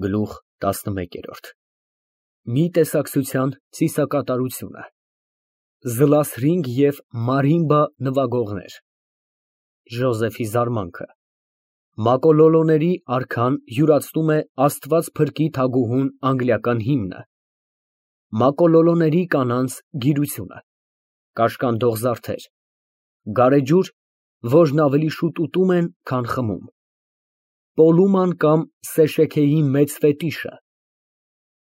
Գլուխ 11 Մի տեսակցության ծիսակատարությունը Զլասրինգ և մարիմբա նվագողներ Ժոզեֆի զարմանքը Մակոլոլոների արքան յուրացնում է Աստված փրկի թագուհուն անգլիական հիմնը Մակոլոլոների կանանց գիրությունը Կաշկանդող զարդեր Գարեջուր, որն ավելի շուտ ուտում են, քան խմում Պոլուման կամ Սեշեքեի մեծ ֆետիշը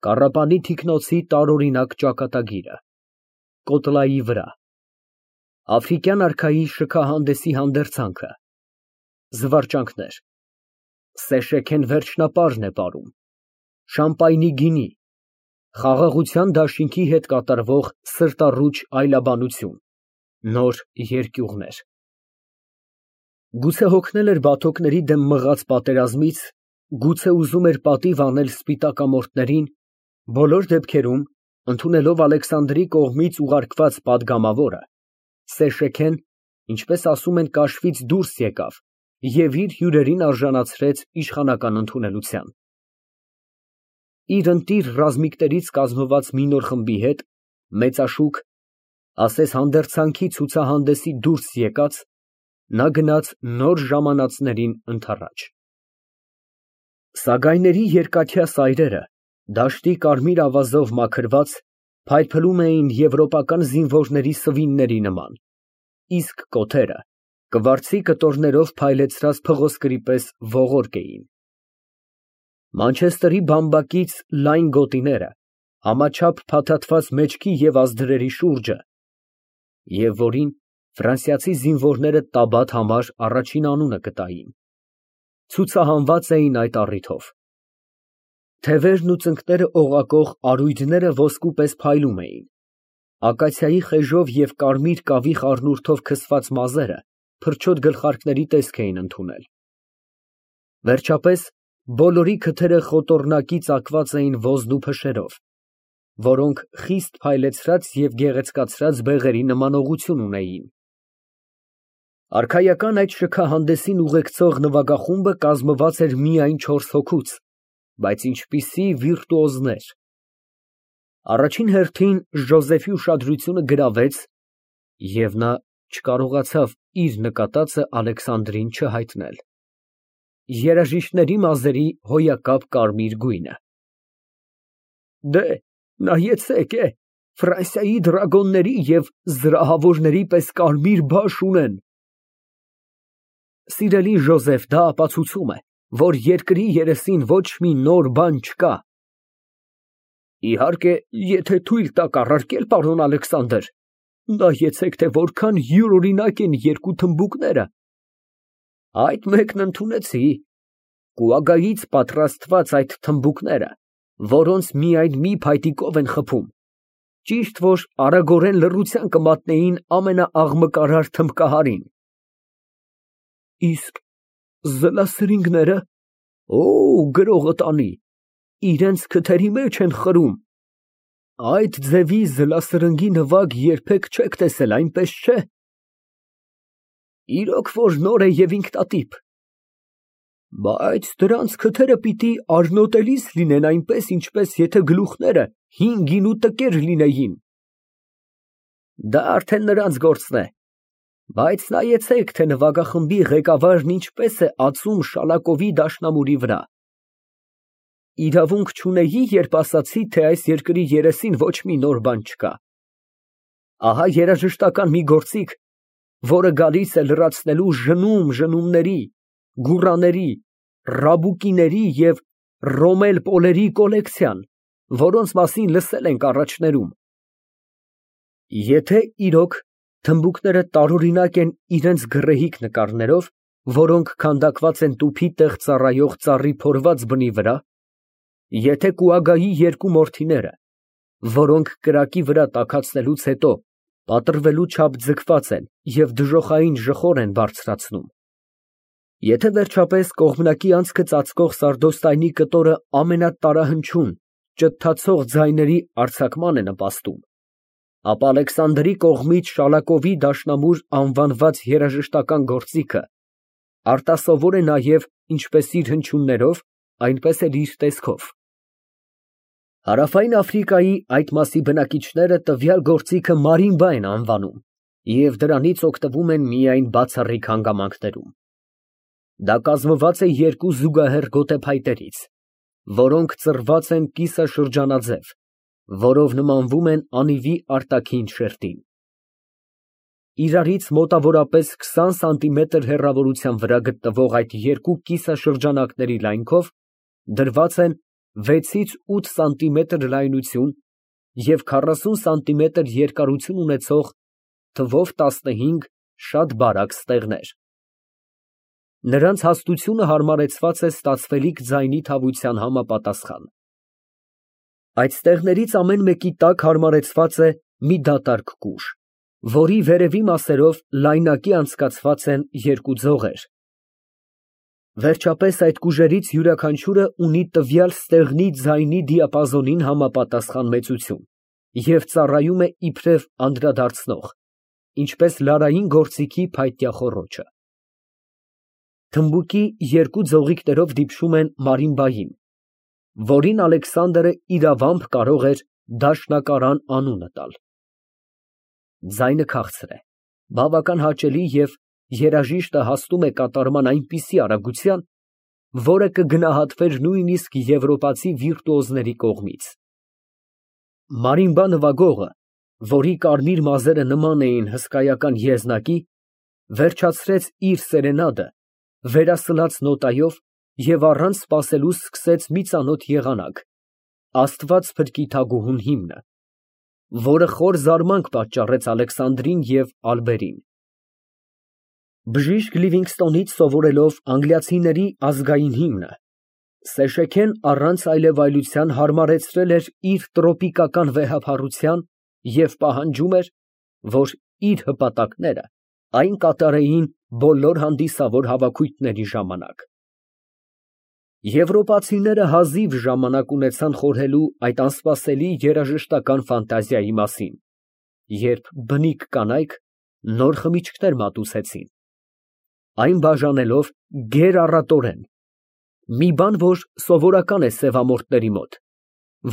Կառապանի թիկնոցի տարօրինակ ճակատագիրը Կոտլայի վրա Աֆրիկյան արքայի շքահանդեսի հանդերձանքը Զվարճանքներ Սեշեքեն վերջնապարն է պարում Շամպայնի գինի Խաղաղության դաշինքի հետ կատարվող սրտառուչ այլաբանություն Նոր երկյուղներ Գուցե հոգնել էր բաթոկների դեմ մղած պատերազմից, գուցե ուզում էր պատիվ անել սպիտակամորթներին, բոլոր դեպքերում, ընդունելով Ալեքսանդրի կողմից ուղարկված պատգամավորը, Սեշեքեն, ինչպես ասում են, կաշվից դուրս եկավ և իր հյուրերին արժանացրեց իշխանական ընդունելության։ Իր ընտիր ռազմիկներից կազմված մի նոր խմբի հետ, մեծաշուք, ասես հանդերձանքի ցուցահանդեսի դուրս եկած, նա գնաց նոր ժամանածներին ընդառաջ։ Սագայների երկաթյա սայրերը, դաշտի կարմիր ավազով մաքրված, փայլփլում էին եվրոպական զինվորների սվինների նման, իսկ կոթերը կվարձի կտորներով փայլեցրած փղոսկրի պես ողորկ էին։ Մանչեսթերի բամբակից լայն գոտիները, համաչափ փաթաթված մեջքի և ազդրերի շուրջը, և որին ֆրանսիացի զինվորները Տաբատ համար առաջին անունը կտային, ցուցահանված էին այդ առիթով։ Թևերն ու ծնկները օղակող արույդները ոսկու պես փայլում էին, ակացիայի խեժով և կարմիր կավի խառնուրդով քսված մազերը փրչոտ գլխարկների տեսք էին ընդունել։ Վերջապես, բոլորի քթերը խոտոռնակի ծակված էին ոզն ու փշերով, որոնք խիստ փայլեցրած և գեղեցկացրած բեղերի նմանողություն ունեին։ Արքայական այդ շքահանդեսին ուղեկցող նվագախումբը կազմված էր միայն 4 հոգուց, բայց ինչպիսի վիրտուոզներ։ Առաջին հերթին Ժոզեֆի ուշադրությունը գրավեց, և նա չկարողացավ իր նկատածը Ալեքսանդրին չհայտնել, երաժիշտների մազերի հոյակապ կարմիր գույնը։ Նայեցեք, Ֆրանսիայի դրագոնների և զրահավորների պես կարմիր բաշ ունեն։ Սիրելի Ժոզեֆ, դա ապացուցում է, որ երկրի երեսին ոչ մի նոր բան չկա։ Իհարկե, եթե թույլ տաք առարկել, պարոն Ալեքսանդր, նայեցեք, թե որքան յուրօրինակ են երկու թմբուկները։ Այդ մեկն ընդունեցի, կուագայից պատրաստված այդ թմբուկները, որոնց միայն մի փայտիկով են խփում, ճիշտ որ արագորեն լռության կմատնեին ամենաաղմկարար թմբկահարին։ Իսկ զլասրինգները, գրողը տանի, իրենց քթերի մեջ են խրում։ Այդ ձևի զլասրնգի նվագ երբեք չեք տեսել, այնպես չէ։ Իրոք որ նոր է և ինքնատիպ։ Բայց դրանց քթերը պիտի արնոտելիս լինեն այնպես, ինչպես եթե գլուխները հին գինու տկեր լինեին։ Դա արդեն նրանց գործն է, բայց նայեցեք, թե նվագախմբի ղեկավարն ինչպես է ածում Շալակովի դաշնամուրի վրա։ Իրավունք չունեի, երբ ասացի, թե այս երկրի երեսին ոչ մի նոր բան չկա։ Ահա երաժշտական մի գործիք, որը գալիս է լրացնելու ժնումների, գուռաների, ռաբուկիների և ռոմել պոլերի կոլեկցիան, որոնց մասին լսել ենք առաջներում։ Եթե իրոք թմբուկները տարօրինակ են իրենց գռեհիկ նկարներով, որոնք քանդակված են տուփի տեղ ծառայող ծառի փորված բնի վրա, եթե կուագայի երկու մորթիները, որոնք կրակի վրա տաքացնելուց հետո պատռվելու չափ ձգված են և դժոխային ժխոր են բարձրացնում, եթե վերջապես կողմնակի անցքը ծածկող սարդոստայնի կտորը ամենատարահնչյուն, ճթացող ձայների արձակման է նպաստում, ապա Ալեքսանդրի կողմից Շալակովի դաշնամուր անվանված երաժշտական գործիքը արտասովոր է նաև ինչպես իր հնչյուններով, այնպես էլ իր տեսքով։ Հարավային Աֆրիկայի այդ մասի բնակիչները տվյալ գործիքը մարիմբա են անվանում և դրանից օգտվում են միայն բացառիկ հանգամանքներում։ Դա կազմված է երկու զուգահեռ գոտեփայտերից, որոնք ծռված են կիսաշրջանաձև, որով նմանվում են անիվի արտաքին շերտին։ Իրարից մոտավորապես 20 սանտիմետր հեռավորության վրա գտնվող այդ երկու կիսաշրջանակների լայնքով դրված են 6-ից 8 սանտիմետր լայնություն և 40 սանտիմետր երկարություն ունեցող թվով 15 շատ բարակ ստեղներ։ Նրանց հաստությունը հարմարեցված է ստացվելիք ձայնի թավության համապատասխան։ Այդ ստեղներից ամեն մեկի տակ հարմարեցված է մի դատարկ կուժ, որի վերևի մասերով լայնակի անցկացված են երկու ձողեր։ Վերջապես այդ կուժերից յուրաքանչյուրը ունի տվյալ ստեղնի ձայնի դիապազոնին համապատասխան մեծություն և ծառայում է իբրև անդրադարձնող, ինչպես լարային գործիքի փայտյա խոռոչը։ Թմբուկի երկու ձողիկներով դիպչում են մարիմբային, որին Ալեքսանդրը իրավամբ կարող էր դաշնակարան անունը տալ։ Ձայնը քաղցր է, բավական հաճելի և երաժիշտը հասնում է կատարման այնպիսի արագության, որը կգնահատվեր նույնիսկ եվրոպացի վիրտուոզների կողմից։ Մարիմբա նվագողը, որի կարմիր մազերը նման էին հսկայական եզնակի, վերջացրեց իր սերենադը վերասլաց նոտայով և առանց սպասելու սկսեց մի ծանոթ եղանակ, «Աստված փրկի թագուհուն» հիմնը, որը խոր զարմանք պատճառեց Ալեքսանդրին և Ալբերին։ Բժիշկ Լիվինգստոնից սովորելով անգլիացիների ազգային հիմնը, Սեշեքեն առանց այլևայլության հարմարեցրել էր իր տրոպիկական վեհափառության և պահանջում էր, որ իր հպատակները այն կատարեին բոլոր հանդիսավոր հավաքույթների ժամանակ։ Եվրոպացիները հազիվ ժամանակ ունեցան խորհելու այդ անսպասելի երաժշտական ֆանտազիայի մասին, երբ բնիկ կանայք նոր խմիչքներ մատուցեցին, այն բաժանելով գերառատորեն, մի բան, որ սովորական է սևամորթների մոտ,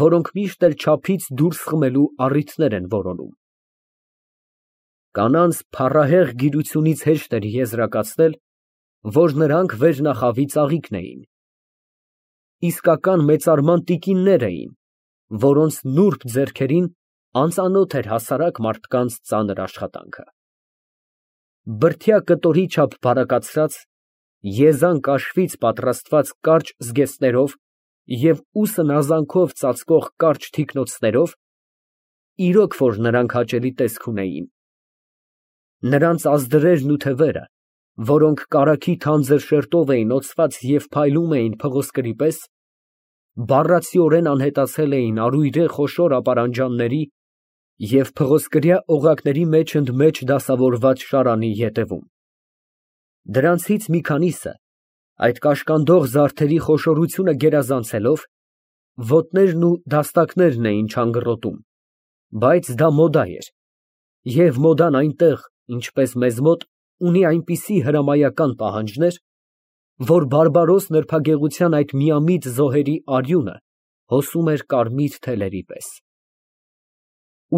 որոնք միշտ էլ չափից դուրս խմելու առիթներ են որոնում։ Կանանց փառահեղ գիրությունից հեշտ էր եզրակացնել, որ նրանք վերնախավի ծաղիկն էին, իսկական մեծարման տիկիններ էին, որոնց նուրբ ձեռքերին անծանոթ էր հասարակ մարդկանց ծանր աշխատանքը։ Բրդյա կտորի չափ բարակացրած, եզան կաշվից պատրաստված կարճ զգեստներով և ուսն ազանքով ծածկող կարճ թիկնոցներով, իրոք որ նրանք հաճելի տեսք ունեին։ Նրանց ազդրերն ու թևերը, որոնք կարագի թանձր շերտով էին օծված և փայլում էին փղոսկրի պես, բառացիորեն անհետացել էին առույրե խոշոր ապարանջանների և փղոսկրյա օղակների մեջ ընդ մեջ դասավորված շարանի ետևում։ Դրանցից մի քանիսը, այդ կաշկանդող զարդերի խոշորությունը գերազանցելով, ոտներն ու դաստակներն էին չանգռոտում, բայց դա մոդա էր, և մոդան այնտեղ, ինչպես մեզ մոտ, ունի այնպիսի հրամայական պահանջներ, որ բարբարոս նրբագեղության այդ միամիտ զոհերի արյունը հոսում էր կարմիր թելերի պես։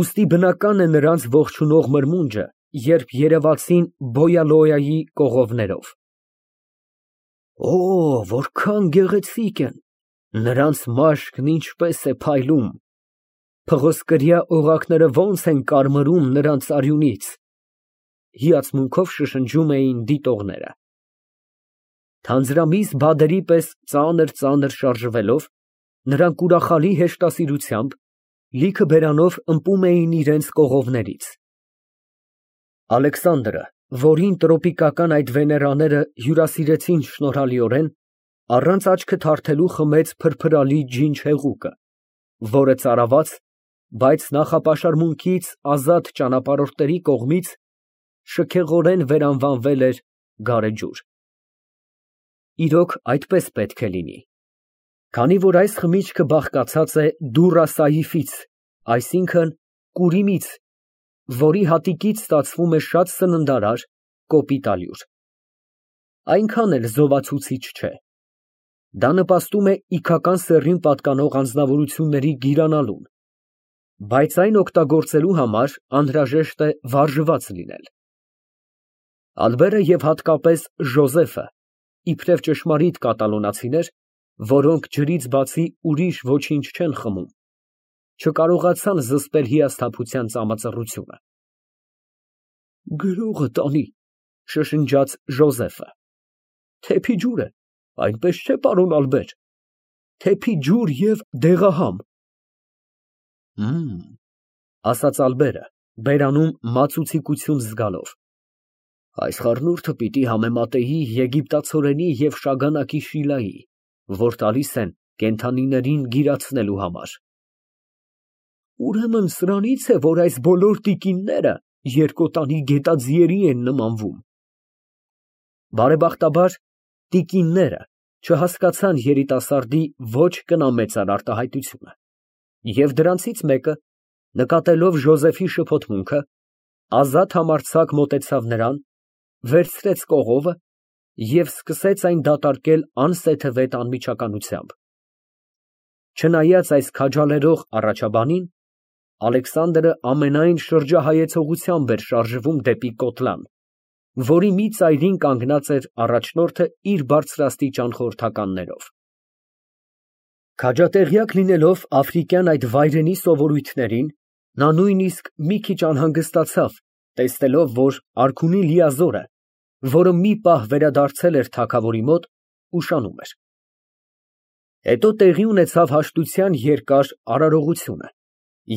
Ուստի բնական է նրանց ողջունող մրմունջը, երբ երևացին Բոյալոյայի կողովներով։ Օ, որքան գեղեցիկ են, նրանց մաշկն ինչպես է փայլում, փղոսկրյա օղակները ոնց են կարմրում նրանց արյունից, հիացմունքով շշնջում էին դիտողները։ Թանձրամիս բադերի պես ծանր շարժվելով, նրանք ուրախալի հեշտասիրությամբ, լիքը բերանով ըմպում էին իրենց կողովներից։ Ալեքսանդրը, որին տրոպիկական այդ վեներաները հյուրասիրեցին շնորհալիորեն, առանց աչքը թարթելու խմեց փրփրալի ջինջ հեղուկը, որը ծարաված, բայց նախապաշարմունքից ազատ ճանապարհորդների կողմից շքեղորեն վերանվանվել էր գարեջուր։ Իրոք այդպես պետք է լինի, քանի որ այս խմիչքը բաղկացած է դուռա սայիֆից, այսինքն կուրիմից, որի հատիկից ստացվում է շատ սննդարար, կոպիտ ալյուր։ Այնքան էլ զովացուցիչ չէ։ Դա նպաստում է իգական սեռին պատկանող անձնավորությունների գիրանալուն, բայց այն օգտագործելու համար անհրաժեշտ է վարժված լինել։ Ալբերը և հատկապես Ժոզեֆը, իբրև ճշմարիտ կատալոնացիներ, որոնք ջրից բացի ուրիշ ոչինչ չեն խմում, չկարողացան զսպել հիասթափության ծամածռությունը։ Գրողը տանի, շշնջաց Ժոզեֆը։ Թեփի ջուր է, այնպես չէ, պարոն Ալբեր, թեփի ջուր և դեղահամ։ Ասաց Ալբերը, բերանում մածուցիկություն զգալով։ Այս խառնուրդը պիտի համեմատեի եգիպտացորենի և շագանակի Շիլայի, որ տալիս են կենդանիներին գիրացնելու համար։ Ուրեմն սրանից է, որ այս բոլոր տիկինները երկոտանի գետաձիերի են նմանվում։ Բարեբախտաբար, տիկինները չհասկացան երիտասարդի ոչ կնամեծար արտահայտությունը, և դրանցից մեկը, նկատելով Ժոզեֆի շփոթմունքը, ազատ համարձակ մոտեցավ նրան, վերցրեց կողովը և սկսեց այն դատարկել անսեթևետ անմիջականությամբ։ Չնայած այս քաջալերող առաջաբանին, Ալեքսանդրը ամենայն շրջահայեցողությամբ էր շարժվում դեպի կոտլան, որի մի ծայրին կանգնած էր առաջնորդը իր բարձրաստիճան խորհրդականներով։ Քաջատեղյակ լինելով աֆրիկյան այդ վայրենի սովորույթներին, նա նույնիսկ մի քիչ անհանգստացավ, տեսնելով, որ արքունի Լիազորը, որը մի պահ վերադարձել էր թագավորի մոտ, ուշանում էր։ Հետո տեղի ունեցավ հաշտության երկար արարողությունը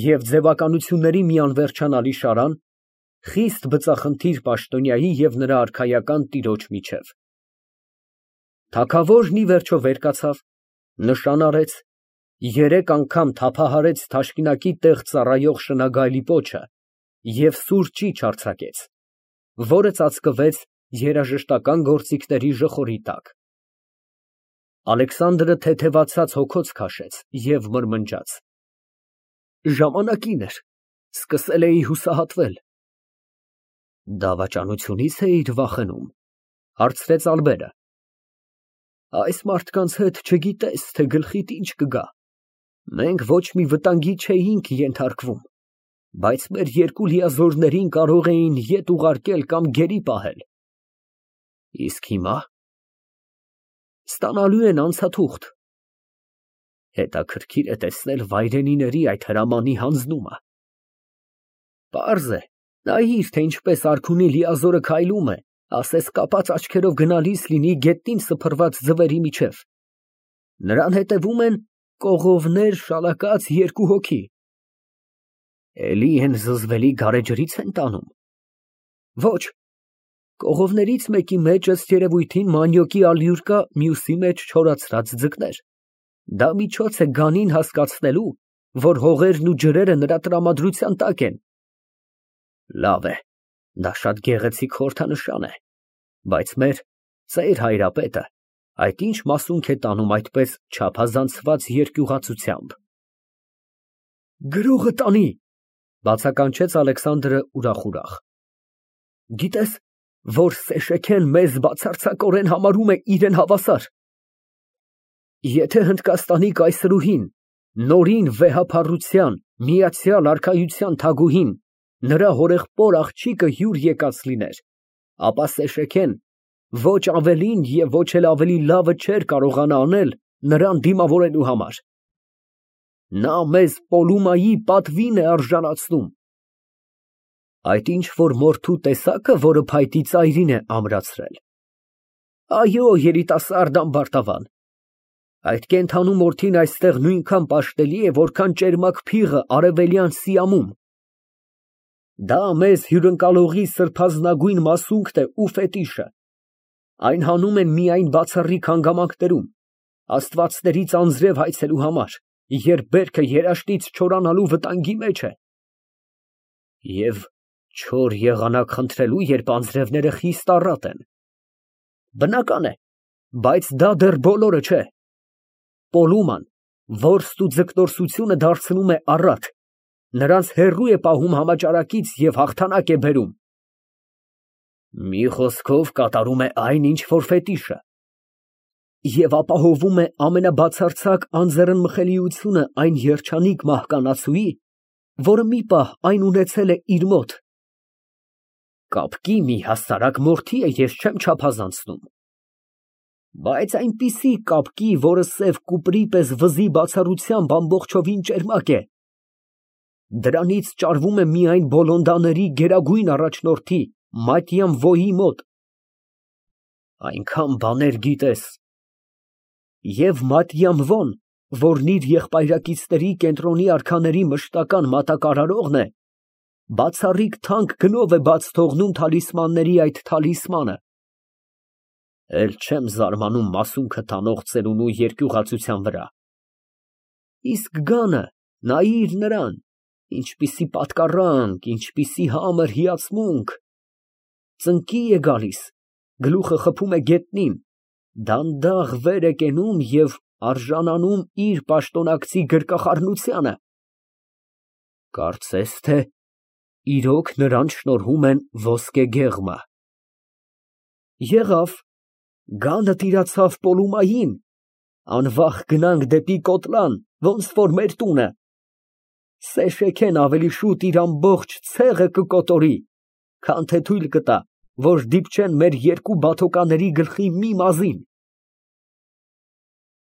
և ձևականությունների մի անվերջանալի շարան, խիստ բծախնդիր պաշտոնյայի և նրա արքայական տիրոջ միջև։ Թագավորն ի վերջո վեր կացավ, նշան արեց, 3 անգամ թափահարեց թաշկինակի տեղ ծառայող շնագայլի պոչը և սուր ճիչ արձակեց, որը ծածկվեց երաժշտական գործիքների ժխորի տակ։ Ալեքսանդրը թեթևացած հոգոց քաշեց և մրմնջաց. Ժամանակին էր, սկսել էի հուսահատվել։ Դավաճանությունի՞ց էիր վախենում, հարցրեց Ալբերը։ Այս մարդկանց հետ չգիտես, թե գլխիդ ինչ կգա։ Մենք ոչ մի վտանգի չէինք ենթարկվում, բայց մեր 2 լիազորներին կարող էին ետ ուղարկել կամ գերի պահել։ Իսկ հիմա ստանալու են անցաթուղթ։ Հետաքրքիր է տեսնել վայրենիների այդ հրամանի հանձնումը։ Պարզ է, նայիր, թե ինչպես արքունի Լիազորը քայլում է, ասես կապած աչքերով գնալիս լինի գետնին սփռված ձվերի միջև։ Նրան հետևում են կողովներ շալակած 2 հոգի։ Էլի են զզվելի գարեջրից են տանում։ Ոչ, կողովներից մեկի մեջ ըստ երևույթին մանյոկի ալյուր կա, մյուսի մեջ չորացած ձկներ։ Դա միջոց է գանին հասկացնելու, որ հողերն ու ջրերը նրա տրամադրության տակ են։ Լավ է, դա շատ գեղեցիկ խորհրդանշան է, բայց մեր ծեր հայրապետը այդ ինչ մասունք է տանում այդպես չափազանցված երկյուղացությամբ։ Գրողը տանի, բացականչեց Ալեքսանդրը ուրախ։ Գիտես, որ Սեշեքեն մեզ բացարձակորեն համարում է իրեն հավասար։ Եթե Հնդկաստանի կայսրուհին, նորին վեհափառության, միացյալ արքայության թագուհին, նրա հորեղբոր աղջիկը հյուր եկած լիներ, ապա Սեշեքեն ոչ ավելին և ոչ էլ ավելի լավը չէր կարողանա անել նրան դիմավորելու համար։ Նա մեզ Պոլումայի պատվին է արժանացնում։ Այդ ինչ որ մորթու տեսակը, որը փայտի ծայրին է ամրացրել։ Այո, երիտասարդ ամբարտավան, այդ կենդանու մորթին այստեղ նույնքան պաշտելի է, որքան ճերմակ փիղը արևելյան Սիամում։ Դա մեզ հյուրընկալողի սրբազնագույն մասունքն է ու ֆետիշը։ Այն հանում են միայն բացառիկ հանգամանքներում, աստվածներից անձրև հայցելու համար, երբ բերքը երաշտից չորանալու վտանգի մեջ է։ Եվ չոր եղանակ խնդրելու, երբ անձրևները խիստ առատ են։ Բնական է, բայց դա դեռ բոլորը չէ։ Պոլուման որստ ու ձկնորսությունը դարձնում է առատ, նրանց հեռու է պահում համաճարակից և հաղթանակ է բերում։ Մի խոսքով կատարում է այն, ինչ որ ֆետիշը։ Եվ ապահովում է ամենաբացարձակ անձեռնմխելիությունը այն երջանիկ մահկանացուի, որը մի պահ այն ունեցել է իր մոտ։ Կապկի մի հասարակ մորթի է, ես չեմ չափազանցնում, բայց այնպիսի կապկի, որը սև կուպրի պես վզի բացառությամբ ամբողջովին ճերմակ է, դրանից ճարվում է միայն Բոլոնդաների գերագույն առաջնորդի Մատյամ Վոյի մոտ։ Այնքան բաներ գիտես, և Մատյամ Վոն, որն իր եղբայրակիցների կենտրոնի արքաների մշտական մատակարարողն է, բացառիկ թանկ գնով է բաց թողնում թալիսմանների այդ թալիսմանը։ Էլ չեմ զարմանում մասունքը տանող ծերունու երկյուղացության վրա։ Իսկ գանը, նայիր նրան, ինչպիսի պատկառանք, ինչպիսի համր հիացմունք, ծնկի է գալիս, գլուխը խփում է գետնին, դանդաղ վեր է կենում և արժանանում իր պաշտոնակցի գրկախառնությանը։ Կարծես թե իրոք նրան շնորհում են ոսկե գեղմը։ Եղավ, գանը տիրացավ Պոլումային, անվախ գնանք դեպի Կոտլան, ոնց որ մեր տունը, Սեշեքեն ավելի շուտ իր ամբողջ ցեղը կկոտորի, քան թե թույլ կտա, որ դիպչեն մեր երկու բաթոկաների գլխի մի մազին։